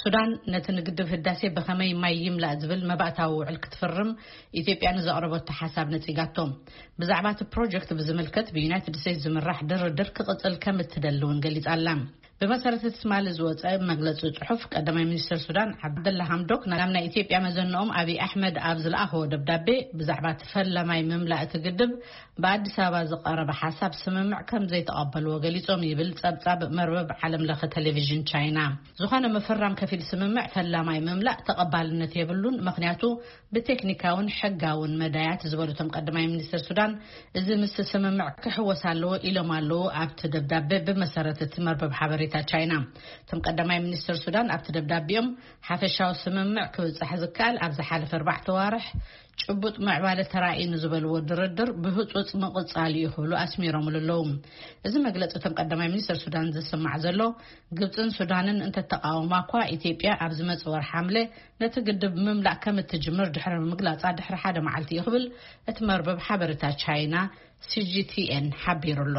ሱዳን ነቲ ንግድብ ህዳሴ ብኸመይ ማይ ይምላእ ዝብል መባእታዊ ውዕል ክትፍርም ኢትዮጵያ ንዘቕረበቶ ሓሳብ ነጺጋቶ። ብዛዕባ እቲ ፕሮጀክት ብዝምልከት ብዩናይትድ ስቴትስ ዝምራሕ ድርድር ክቕጽል ከም እትደሊ እውን ገሊጻ ኣላ። ብመሰረት እቲ ትማሊ ዝወጸ መግለጺ ጽሑፍ፣ ቀዳማይ ሚኒስትር ሱዳን ዓብደላ ሃምዶክ ናብ ናይ ኢትዮጵያ መዘንኦም ኣብይ ኣሕመድ ኣብ ዝለኣኸዎ ደብዳቤ፣ ብዛዕባ እቲ ፈላማይ ምምላእ እቲ ግድብ ብኣዲስ ኣበባ ዝቐረበ ሓሳብ ስምምዕ ከም ዘይተቐበልዎ ገሊጾም ይብል ጸብጻብ መርበብ ዓለም ለኸ ቴሌቪዥን ቻይና። ዝኾነ ምፍራም ከፊል ስምምዕ ፈላማይ ምምላእ ተቐባልነት የብሉን፣ ምኽንያቱ ብቴክኒካውን ሕጋውን መዳያት ዝበሉ እቶም ቀዳማይ ሚኒስትር ሱዳን፣ እዚ ምስ ስምምዕ ክሕወስ ኣለዎ ኢሎም ኣለዉ ኣብቲ ደብዳቤ። ብመሰረት እቲ መርበብ ሓበሬታ ቻይና፣ እቶም ቀዳማይ ሚኒስትር ሱዳን ኣብቲ ደብዳቤኦም፣ ሓፈሻዊ ስምምዕ ክብጻሕ ዝከኣል ኣብ ዝሓለፈ ኣርባዕተ ዋርሕ ጭቡጥ ምዕባለ ተራእዩ ንዝበልዎ ድርድር ብህጹጽ ምቕጻል እዩ ክብሉ ኣስሚሮምሉ ኣለዉ። እዚ መግለጺ እቶም ቀዳማይ ሚኒስትር ሱዳን ዝስማዕ ዘሎ፣ ግብጽን ሱዳንን እንተተቃወማ እኳ፣ ኢትዮጵያ ኣብ ዝመጽእ ወርሒ ሓምለ ነቲ ግድብ ምምላእ ከም እትጅምር ድሕሪ ምግላጻ ድሕሪ ሓደ መዓልቲ እዩ ክብል እቲ መርበብ ሓበሬታ ቻይና ሲጂቲኤን ሓቢሩ ኣሎ።